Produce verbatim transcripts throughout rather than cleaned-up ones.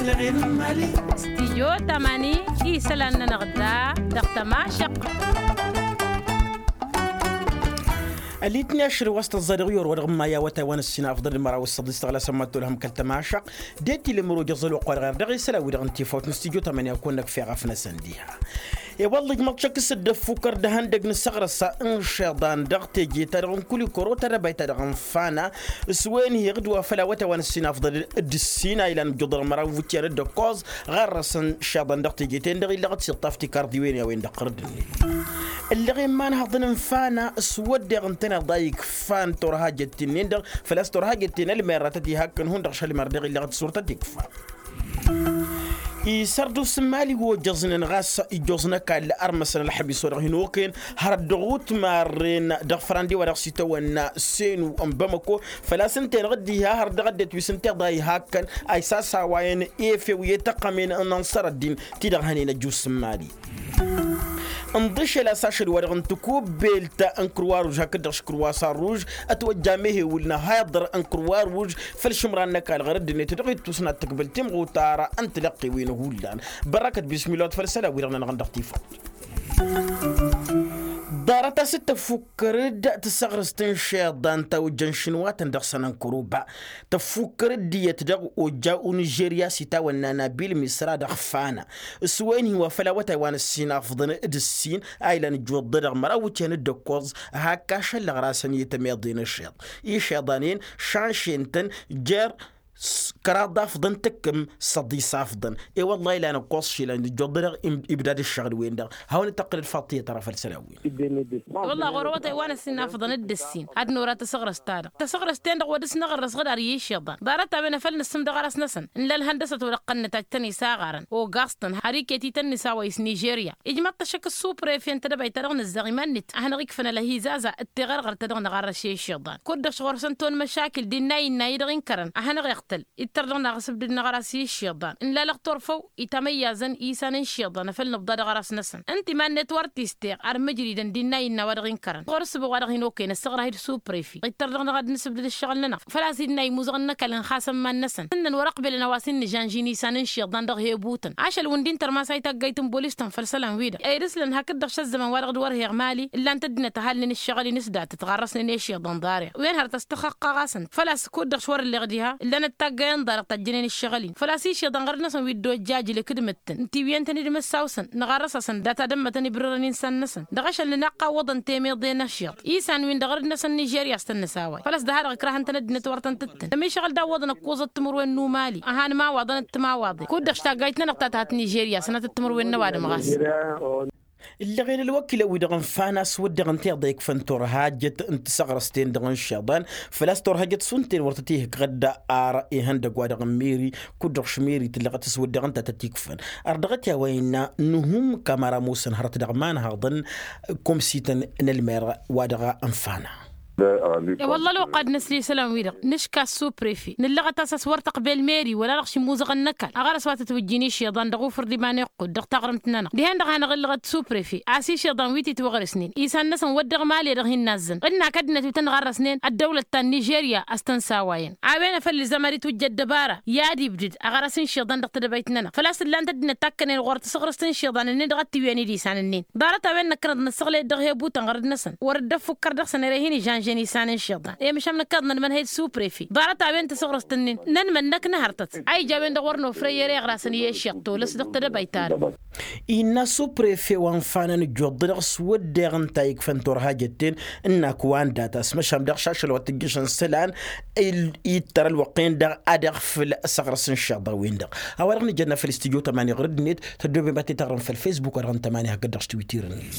Stijyo tamani isălan-nănăɣ da dăɣ-tămašăq. Ălitni ašăl wa s-tăẓẓa dăɣ-i orăwădăɣ n-maya wa taywan ăssinafḍăl d-măraw s-săḍis tăɣla sămmat tolhăm kăl-tămašăq. D-e tilemăro jăẓăl oqq wa dăɣ-err dăɣ-isălan-wi-dăɣ n-tifawt n-stijyo tamani a kăwăn-năkf eɣăf-năsăn diha. I-wălla ijmăḍ-t šăkk s-dd-ăffukăr d-ehăndăg n-săɣrăs n-išiḍan dăɣ-teje-ta-dăɣ n-kulikoro tadăbayt-ta-dăɣ n-fana. S-wen-hi ɣǝd wa făl a-wa taywan ăssinafḍăl d-ǝssin a ilan ǝjjuḍăr măraw n-ivutyăn d-ăkkoẓ ɣarrăsăn išiḍan dăɣ-teje-ten-dăɣ illăɣ-dd s-iṭṭaf tikarḍiwen i-a-wen-dăɣ ɣărăd-net. Ǝllăɣen imanhăḍăn n-fana s-wădden ǝntăneḍ a ikfan turhajăt-in-dăɣ făl-a-s turhajăt-in ălmerratăt ihakkăn hundăɣ šălmar dăɣ-illăɣ-dd s-wăr tăt-ikfa. Isărdusen mali ojăẓnen ɣas ijjoẓ n-ăkall ărmăsăn ălxămis wa dăɣ-hin-okăyăn hărăt dăɣ-utmarren dăɣ-fărandi wa dăɣ-s itawănna senu n-bamăko. Făl-a-s ǝnta-en ɣǝddiha hărăt dăɣ-ăddinăt wi s-ǝnta iḍa ihakkăn a isasawayăn efew i-tăqqămen n-ănṣăr ăddin ti-dăɣ hănen ăjus n-mali. Ǝnḍǝšel a-s ašăl-wa-dăɣ n-tikubbelt n-kǝrwa ruž hakd-dăɣ š-kǝrwa s-arruž ătwăjja mehewǝl n-ehăyăḍăr n-kǝrwa ruž făll-išǝmran n-ăkall ɣur-ăddinăt dăɣ-ittus n-ad-tǝkbǝl timɣutar n-tilăqqewen hullan. Bărrakăt bismilot făll-isălan-wi-dăɣ nănăɣ-dăɣ tifawt. Ḍarăt a-s dd-tăffukkăr-dd tasăɣrǝst n-išiḍan ta ojjăn šinwatăn dăɣ-săn n-kăruba. Tăffukkăr-dd iyyăt dăɣ-ojja u-nižerya s-itawănna nabil misra dăɣ-fana. S-wen-hi wa făl awătay wa n-ǝssin afḍăn d-ǝssin a ilan ǝjjuḍ-dăɣ măraw iwǝtyan d-ǝkkoẓ. Hak ašăl ăɣrasăn i-tămeḍe n-ašeḍ išiḍan-en šanšen-tăn jer-kăraḍ afḍăn tǝkkǝm săḍis afḍăn. I-wălla ilan ǝkkoẓ šilăn ǝjjuḍ-dăɣ ibdad ǝššăɣǝl-wen-dăɣ. Hawăn-dd-tăqqǝlăd faḍt tiyyăt ara făll-isălan-wen. Wălla ɣur-awătay wa n-ăssin afḍăn d-ǝssin ad-nora tasăɣrăst-ta-dăɣ tasăɣrăst-ten-dăɣ wa dăɣ-s năɣărrăs ɣǝd ar i-išiḍan ḍarăt-a-wen a făl nǝssǝm dăɣ-arăs-năsăn. N-lălhăn dăɣ-săt wa dăɣ-tăn-nǝtajj tăn-isaɣarăn ogaẓ-tăn har iket-i tăn-nǝsawăy s-nižerya. Ijmăḍ-t ašăk ăssupre fi ǝnta dăbayt-ta-dăɣ nǝzzăɣ iman-net a hanăɣ-ikfăn ălhizază d-tiɣărɣărt ta dăɣ-năɣarrăs i-išiḍan kud-dăɣ šɣur-săn ton măšakil d-inna innă-i-dăɣ inkărăn a hanăɣ-iɣtăl. Ittăr dăɣ-naɣ asǝbdǝd n-aɣras i-išiḍan n-lalăɣ turfăw itamăyyazăn isan n-išiḍan a făl nǝbḍa dăɣ-arăs-năsăn. Ǝnta iman-net wăr t-isteɣ ar mǝjridăn d-inna innă wa dăɣ-inkărăn ɣur-ǝssǝbăɣ wa dăɣ-hin-okăyăn ăssăɣrah-dd supre fi ittăr dăɣ-naɣ ad-nǝsǝbdǝd ǝššăɣǝl-nănăɣ. Făl-a-s innă imuzăɣăn n-ăkall ǝnxasăn iman-năsăn ǝnnăn wăr-ăqbelăn a-wa s-in-nǝžanžin isan n-išiḍan dăɣ-hebutăn ašăl wǝnda intărmas a itaggayt n-bolis-tăn făll-isălan-wi-dăɣ. Ed ǝslăn hakd-dăɣ šăzzăman wa dăɣ-dd-wăr heɣ mali ǝllan-t ăddinăt ăhalnen ǝššăɣǝl-in s-datăt ɣarrăsnen i-išiḍan ḍarăɣ wen hărăt ăstăxăqqa ɣasăn făl-a-s kud-dăɣ s-wăr-ǝlleɣ diha ǝllan-ăttaggayen ḍarăɣ tajjănen ǝššăɣǝl-in făl-a-s išiḍan ɣărăt-năsăn wi dd-ojjajǝl ǝkdǝmǝt-tăn n-tiwǝyăn-tăn-dd măssawsăn năɣarrăs-asăn data d-ămmătăn ibrărăn insan-năsăn dăɣ-ašăl nǝnaqqa ǝwwăḍăn temeḍe n-ašiḍ isan-win-dăɣ ɣărăt-năsăn nižerya a-s tăn-nǝsaway făl-a-s dăɣ-ha-dăɣ ǝkrahăn-tăn ăddinăt wăr tăn-tǝttǝn ămišăɣăl d-awwăḍăn ăkkuẓăt timǝrwen n-umali ăhan imawaḍăn d-timawaḍen kud-dăɣ s-taggayt-nănăɣ ta tăhat nižerya sănatăt timǝrwen n-ăwadǝm ɣas. Ǝllăɣen ălwăkilăn-wi-dăɣ n-fana a-s wădden ǝnta iḍa ikfăn turhajăt n-tasăɣrăst-ten-dăɣ n-išiḍan făl-a-s turhajăt šund-ten wăr tăt-ihǝkɣăd. Ar ihăndăgg-wa-dăɣ n-meri kud-dăɣ š-meri tǝllăɣăt s-wădden ǝnta a tăt-ikfăn ardăɣăt i-a-wa innă nǝhum kamăra musăn hărăt dăɣ-imanhăḍăn. Komsităn n-ălmer wa dăɣ-ănfana. I-wălla ălwăqq ad-nǝsli isălan-wi-dăɣ nǝška ăssuprefe nǝllăɣăt-as a-s wăr tăqbel meri wăla-dăɣ šimuzăɣăn n-ăkall ăɣrăs wa tătwǝjjin išiḍan dăɣ-ufǝr d-iman iqqud dăɣ-taɣrǝmt-nănăɣ dihen-dăɣ hanăɣ-ǝllăɣăt ăssuprefe a-s išiḍan wi titwăɣrǝsnen isan-năsăn wădden mali dăɣ-hin-nazzăn ɣǝnnak ăddinăt wi tăn-ɣarrăsnen ăddăwlăt ta n-nižerya a-s tăn-sawayăn a-wen a făl ilzam ad-itwǝjja ăddăbara i-ad-ibdǝd ăɣrăs n-išiḍan dăɣ-tedăbayt-nănăɣ făl-a-s ǝllan-t ăddinăt takkănen ɣur-tasăɣrǝst n-išiḍan-ǝnnin dăɣ-ăttiwǝyăn-dd isan-ǝnnin. Ḍarăt-a-wen năkkăneḍ năssăɣlăy-dd dăɣ-hebu-tăn ɣărăd-năsăn wăr dd-ăffukkăr dăɣ-săn ere hin-ižănžen isan n-išiḍan i-măšan năkkăneḍ nănmănhăy d-suprefi ḍarăt-a-wen tasăɣrǝst-ǝnnin nănmănnăk n-hărtăt a ija a-wen-dăɣ wăr nofrăy ere iɣrasăn i-ešiḍ tolăs dăɣ-tedăbayt-ta-dăɣ. Innă suprefe wa n-fanăn ǝjjuḍ-dăɣ s-wădden ǝnta ikfăn turhajăt-ten ǝnnak wa n-data s-măšan daɣ šašăl wa tǝjjăšăn isălan ittăr ălwăqq-en-dăɣ ad-iɣfǝl asăɣrăs n-išiḍa-wen-dăɣ. A-wa-dăɣ nǝjănna făll-studyo tămani ɣur-ăddinăt tăddoobem ad-t-taɣrǝm făll-fesbuk wa dăɣ-n tămani hakd-dăɣ s-twitir-net.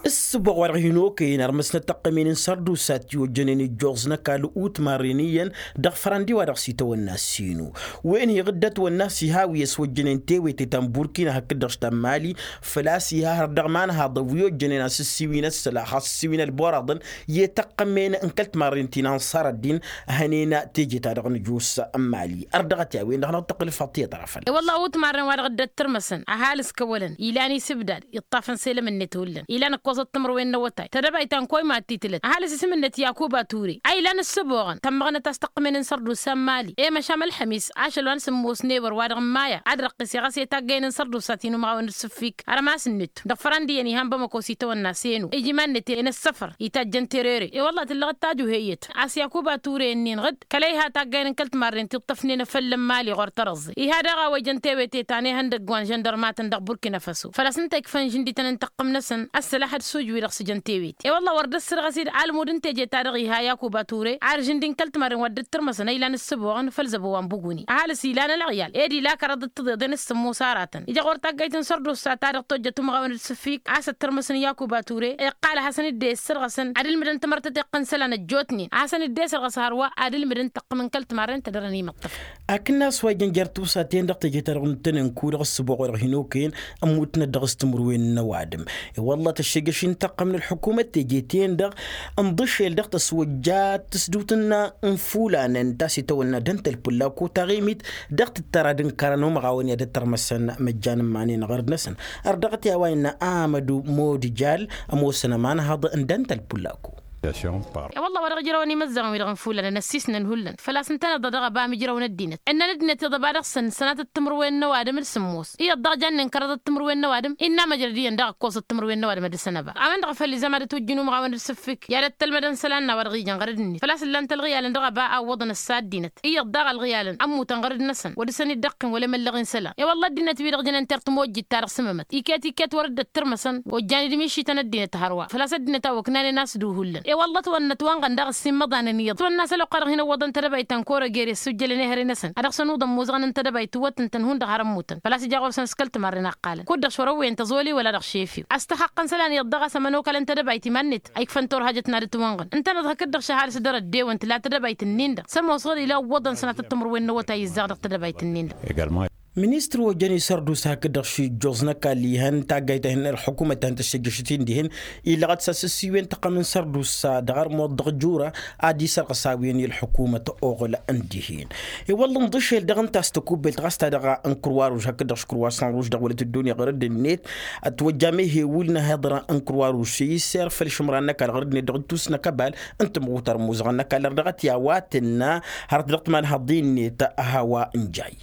Ǝssǝboɣ wa dăɣ-hin-okăyăn ărmăsnăt tăqqămen n-sărdusat i-ojjănen ijjoẓ n-ăkall utmarren iyyăn dăɣ-fărăndi wa dăɣ-s itawănna sinu. Wen-hi ɣǝddăt wănna s-iha wi ăswăjjănen tewete ta n-burkina hakd-dăɣ s-ta n-mali. Făl-a-s iha hărăt dăɣ-imanhaḍăn wi ojjănen asǝssiwin ăssălax asǝssiwin ălboraḍăn i-tăqqămen n-kăl-timarren ti n-anṣar ăddin. Hănen teje-ta-dăɣ n-ăjus n-mali ărdăɣăt i-a-wen-dăɣ hanăɣ-tăqqǝl făll-tiyyăt ara fălla. Wălla utmarren wa dăɣ-dd-ăttărmăsăn ăhalǝs kăwălăn ilan isǝbdad iṭṭafăn selăm-net hullan ilan ǝkkoẓ. ăṭṭămărwen n-awătay tădăbayt ta n-koyma t-itlăt ăhalǝs isǝm-net yakuba ture a ilan ǝssǝboɣăn tămmăɣnăt a-s tăqqǝmen n-sărdusa n-mali i-măšan ălḥămis ašăl wa n-sǝmmos n-ebăr wa-dăɣ n-maya ad-răqqise ɣas i-taggăyăn n-sărdusa ti n-umɣawăn d-sǝffik ărmas-net dăɣ-fărăn d-iyyăn ihan bamăko s-itawănna senu ija iman-net i-inǝssăfăr itajjăn terere i-wălla tǝllăɣ d-tajuheyyăt a-s yakuba ture ǝnnin ɣǝd kăla iha taggăyăn n-kăl-timarren ti ǝṭṭăfnen afăl n-mali ɣur-tărăẓẓe iha daɣ a-wa ijăn tewete ta n-ehăndăgg wa n-žăndărmatăn dăɣ-burkina faso făl-a-s ǝnta ikfăn žǝndităn n-taqqǝm-năsăn ăssălaḥăd s-uj-wi-dăɣ s-ijăn tewete i-wălla wăr dd-ăssărɣăs-dd almud n-teje-ta-dăɣ iha yakuba ture ar žǝndi n-kăl-timarren wa dd-tǝrmăsăn a ilan ǝssǝboɣăn făll-zăbo wa n-buguni ăhalǝs ilan ălɣiyal ed ila kăraḍ d-tǝḍeḍen s-sǝmmos aratăn ija ɣur-taggayt n-sărdusa ta dăɣ-tojjăt umɣawăn d-sǝffik a-s ăttărmăsăn yakuba ture iqqal a hasăn-dd-e-issărɣăsăn ad-ǝlmǝdăn tamărtăteɣt n-isălan ăjjootnen a hasăn-dd-e sărɣăs hărwa ad-ǝlmǝdăn tăqqǝm n-kăl-timarren tădărăn imǝṭṭăf. Akǝnnas wa ijăn jer-tusa-ten-dăɣ teje-ta-dăɣ n-tăn-ǝnku dăɣ-ǝssǝboɣ-i-dăɣ hin-okăyăn ămmutnăt dăɣ-s timǝrwen n-ăwadǝm i-wălla tăššejăš-in tăqqăm n-ălḥukumăt teje-ten-dăɣ ǝnḍǝšel dăɣ-tăswăjja tǝsdǝwt n-infulanăn ta s-itawănna dănt-ălpǝllako taɣimit dăɣ-tǝttăra d-ǝnkărăn umɣawăn i-ad-ăttărmăsăn măjjan n-iman-en ɣărd-năsăn. Ărdăɣăt i-a-wa innă amădu modijal ămoosăn ămanhăḍ n-dănt-ălpǝllako. I-wălla wa dăɣ-ijrăwăn imăzzăɣăn-wi-dăɣ n-ifulanăn ăssiisnăn hullan făl-a-s ǝntăneḍ-dăɣ dăɣ-ăba mǝjrăwăn ăddinăt ǝnnăn ăddinăt iḍăba dăɣ-săn sănatăt timǝrwen n-ăwadǝm d-sǝmmos iyyăḍ daɣ jannen kărăḍăt timǝrwen n-ăwadǝm innă măjrăd iyyăn daɣ ǝkkoẓăt timǝrwen n-ăwadǝm ad-dăr-săn ăba a-wen-dăɣ a făl izam ad-ătwǝjjǝn umɣawăn d-sǝffik i-ad-ăttălmădăn isălan n-a-wa dăɣ-ijăn ɣărăd-net făl-a-s ǝllan-t ălɣiyalăn dăɣ-ăba a ǝwwăḍăn ăssa ăddinăt iyyăḍ daɣ ălɣiyalăn ămmutăn ɣărăd-năsăn wăr dăr-săn dd-ăqqin wăla imăllăɣ i-isălan i-wălla ăddinăt-wi-dăɣ jănen ter-tămojjit-ta-dăɣ s-ămămăt iket iket wăr dd-ăttărmăsăn ojjan-dd mišităn ăddinăt hărwa făl-a-s ăddinăt a-wa ǝknanen a-s duhullan i-wălla ătwănnăt wa n-iɣăn daɣ ǝssin imăḍanen iyyăḍ ătwănna a-s ălwăqq-a-dăɣ hin-ǝwwăḍăn tadăbayt ta n-kora gere ăssujjălăn ehăre-năsăn ad-dăɣ-săn uḍăn muzăɣăn n-tadăbayt tǝwwăt ǝntăn hundăɣ har ămmutăn făl-a-s ija ɣur-săn s-kăl-timarren a ǝqqalăn kud-dăɣ šorăwwen tăẓoli wăla dăɣ-šefiw a-s tăxăqqăn isălan iyyăḍ daɣ a-s ămănokalăn tadăbayt iman-net a ikfăn turhajăt n-ad-ǝtwănɣăn ǝntăneḍ hakd-dăɣ šăhalǝs dăr-ăddewăn tǝla tadăbayt-nin-dăɣ s-ămoos ɣur-ila ǝwwăḍăn sănatăt timǝrwen n-awătay izzaɣ dăɣ-tadăbayt-nin-dăɣ. Ministăr wa jăn isărdusa hakd-dăɣ šijjoẓ n-ăkall ihăn taggayt ta hin-ălḥukumăt ta hin-tăššăjjăšăt-in dihen ilăɣăt s-asǝssiwen tăqqăm n-sărdusa dăɣ-armuḍ dăɣ-jura ad-isărɣǝs a-wen i-ălḥukumăt oɣǝl n-dihen. I-wălla ǝnḍǝšel dăɣ-ǝnta a-s tăkubbelt ɣas ta dăɣ-n kruwaruž hakd-dăɣ škruwasan ruž dăɣ-wălăt ăddunya ɣur-dd-net ătwăjja mehewǝl n-ahiḍra n-kruwaruž i-isser făll-išǝmran n-ăkall ɣur-dd-net dăɣ-ittus n-akăbal n-tǝmɣutar n-imuzăɣăn n-ăkall ărdăɣăt i-a-wa tǝnna hărăt dăɣ-timanhăḍin-net a hawa n-jay.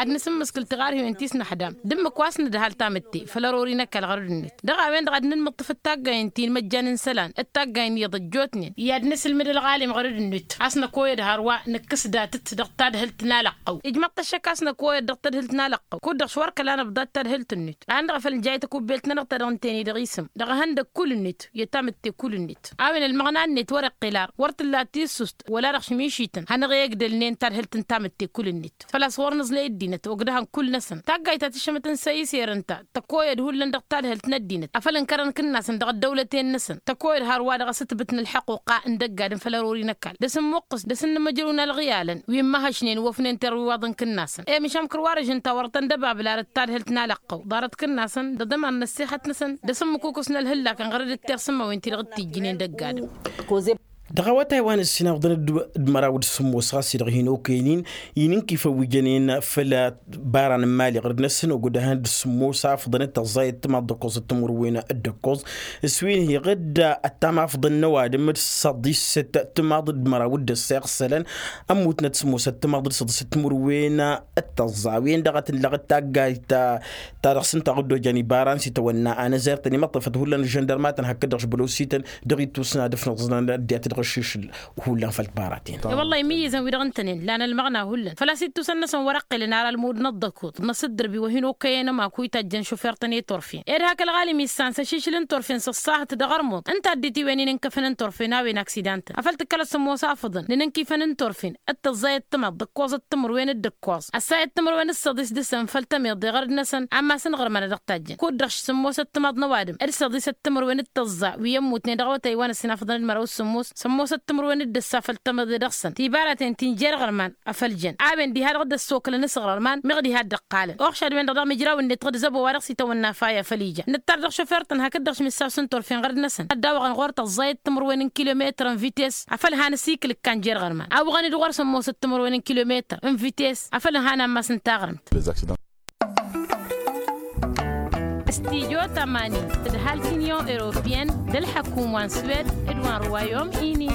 Ad-nǝsǝmmǝskǝl tiɣarhiwen ti s-năxdam d-ǝmmǝk wa s-nǝdhal tamǝtte făll-ărori n-ăkall ɣărăd-net dăɣ-a-wen-dăɣ ad-nǝnmǝṭṭǝf d-taggayen ti n-imăjjan n-isălan d-taggayen iyyăḍ ăjjootnen i-ad-nǝsǝlmǝd ălɣalim ɣărăd-net a-s năkoyăd hărwa nǝkkǝs datăt dăɣ-tadhǝlt n-alăqqăw ijmăḍ-t ăššăk a-s năkoyăd dăɣ-tadhǝlt n-alăqqăw kud-dăɣ-s wăr kăla năbḍat tadhǝlt-net a ǝnta făl n-jay takubbelt-nănăɣ ta dăɣ-ǝnta-en-i dăɣ-isǝm dăɣ-ehăndăg kull-net i-tamǝtte kull-net a-wen ălmăɣna-net wăr-iqqel ar wăr tǝlla tissust wăla dăɣ-šmišităn hanăɣ-e-ăgdălnen tadhǝlt n-tamǝtte kull-net făl-a-s ɣur-nǝẓlăy ăddinăt ogdăhăn kull-năsăn taggayt ta tǝššămăt n-săy-iser ǝnta tăkoyăd hullan dăɣ-tadhǝlt n-ăddinăt afăl ǝnkărăn kǝnnasăn dăɣ-ăddăwlăten-năsăn tăkoyăd hărwa dăɣ-asǝtbǝt n-ălḥăquqa n-dăgg-adǝm făll-ărori n-ăkall dăr-s ǝmmuqqǝs dăr-s ǝnnǝmǝjrǝw n-ălɣiyalăn wi ǝmmăhăšnen wăfnen terwiwaḍ n-kǝnnasăn i-măšan kărwarăžăn ta wăr tăn-dăbablărăt tadhǝlt n-alăqqăw ḍarăt kǝnnasăn d-aḍăman n-ăssixăt-năsăn dăr-s ǝmmǝkukǝs n-ălhǝllakăn ɣărăd d-tersǝmmăwen ti-dăɣ t-ijjǝnen dăgg-adǝm. Dăɣ-awătay wa n-ǝssin afḍăn d-măraw d-sǝmmos ɣas-i-dăɣ hin-okăyăn-in inǝnkifăn wi jănen făll-baran n-imali ɣărăd-năsăn ogdăhăn d-sǝmmos afḍăn d-tăẓẓayăt timaḍ d-ǝkkoẓăt timǝrwen d-ǝkkoẓ s-wi n-hi-iɣǝdda ăttam afḍăn n-ăwadǝm d-săḍisăt timaḍ d-măraw d-ăssăyăɣ isălan ămmutnăt sǝmmosăt timaḍ d-săḍisăt timǝrwen d-tăẓẓa wi n-dăɣ-tǝllăɣ d-taggayt ta dăɣ-s ǝnta ɣǝddojan ibaran s-itawănna anăzertăn imăṭṭăfăt hullan ăžžăndărmatăn hakd-dăɣ šbălosităn dăɣ-ittus n-ad-ǝfnăẓnăn ăddinăt dăɣ-aššǝšǝl hullan făll-tibaraten. I-wăllah imǝyyǝzăn wi-dăɣ ǝntănen lan ălmăɣna hullan făl-a-s ittusăn-năsăn wăr-ăqqilăn ar ălmud n-ăḍḍăkut n-asǝddărbi wa hin-okăyăn ămaku itajjăn šufer-tăn i-turfen ed hak ălɣalim issan s-ašišǝl n-turfen s-ăṣṣahăt dăɣ-ărmuḍ ǝnta ăddit iwen-in ǝnkăfăn n-turfen a-wen aksidan-tăn afăl tǝkkălăt sămoos afǝḍăn n-inǝnkifăn n-turfen d-tăẓẓayăt timaḍ d-ǝkkoẓăt timǝrwen d-ǝkkoẓ ăssayăt timǝrwen d-săḍis dăɣ-săn făll-tămiḍe ɣărăd-năsăn amma s-ǝnɣărmăn ad-dăɣ-tajjăn kud-dăɣ s-sămmosăt timaḍ n-ăwadǝm d-săḍisăt timǝrwen d-tăẓẓa wi ămmutnen dăɣ-awătay wa n-ăssinafăḍăn d-măraw s-sămmos sămmosăt timǝrwen d-ǝssa făll-tămiḍe dăɣ-săn tibaratăn ti n-jer-iɣărman a făl jăn a-wen diha-dăɣ dd-ăssokălăn s-iɣrărman meɣ diha-dd-ăqqalăn oxšad-wen-dăɣ dăɣ-imǝjraw-net ɣǝd zăbo wa dăɣ-s itawănna faya făl ija nǝttar dăɣ-šofert-tăn hakd-dăɣ šmǝssaw s-inturfen ɣărăd-năsăn ad-dawăɣăn ɣur-tăẓẓayăt timǝrwen n-kilometăr n-vites afăl han ăsikǝl ǝkkan jer-iɣrǝman a wăɣăn-dd ɣur-sămmosăt timǝrwen n-kilometăr n-vites afăl ǝnhan ammas n-taɣrǝmt. Tijo tamani d-hal tinyon europiyăn d-ălḥăkum wa n-swed d-wa n-ruwayom ini.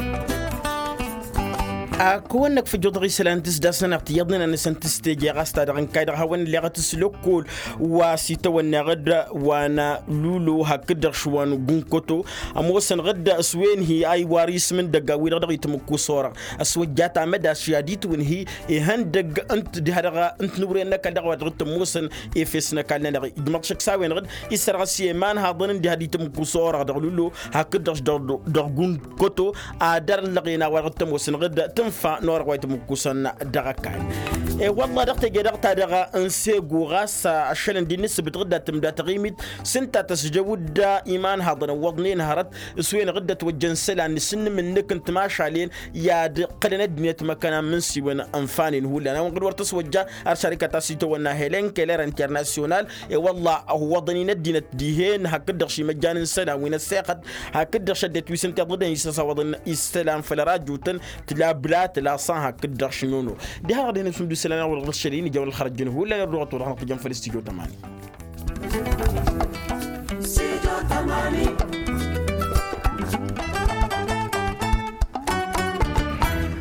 Ak wăn-năkfăjjuḍăɣ isălan tǝsdasnănăɣ tiyyăḍnen a nǝsăn tǝsteje ɣas ta dăɣ-n kay-dăɣ hawăn-illeɣăt s-lăkkol wa s-itawănneɣ-dd wa n-lulo hakd-dăɣ šwa n-gunkoto. Ămoosănăɣ-dd s-wen hi-a iwar isǝm n-idăggan-wi-dăɣ dăɣ-itmǝkkus orăɣ ăswăjja tamădaš i-ad-itwǝnhǝy ihăndăgg ǝnta diha-dăɣ ǝnta n-uren n-ăkall dăɣ-wa dăɣ-tămoosăn efes n-ăkall-nănăɣ. Ijmăḍ šăkk s-a-wen-dăɣ dd-issărɣăs i-imanhaḍăn n-diha d-itmǝkkus orăɣ dăɣ-lulo hakd-dăɣ dăɣ-gunkoto. Ad-ărlăɣen a-wa dăɣ-tămoosănăɣ-dd tǝnfa n-orăɣ wa itmǝkkusăn dăɣ-ăkall. E-wălla dăɣ-teje-dăɣ-ta-dăɣ n-segu ɣas ăššălăn d-innǝssǝbǝt ɣǝdda tǝmda taɣimit s-ǝnta tăsjăw-dd imanhaḍăn ǝwwăḍnen hărăt s-wen-dăɣ dd-ătwăjjăn isălan n-asǝnnǝm-nǝk n-timašalen i-ad-ǝqqǝlăn ăddinăt măkkăna n-imǝnsiwăn ǝnfanen hullan a-wen-dăɣ wăr tăswăjja. Ar šarikăt a-s itawănna helen keller internasyonal i-wălla ăwwăḍăn-in ăddinăt dihen hakd-dăɣ šimăjjan n-isălan wi n-ăssexăt hakd-dăɣ šăddinăt wi s-ǝnta iḍǝdăn isăsawăḍăn isălan făll-ărajutăn. Tǝla bǝla tǝla san hakd-dăɣ šinono diha-dăɣ dăɣ-dăɣ-hin-ăsmǝmdu isălan a-wa dăɣ-dăɣ šăl-in ija wăr ălxărăjjăn hullan ărduɣăt wa dăɣ-năɣ tǝjăn făll-s tijo tămani. Sijo tămani.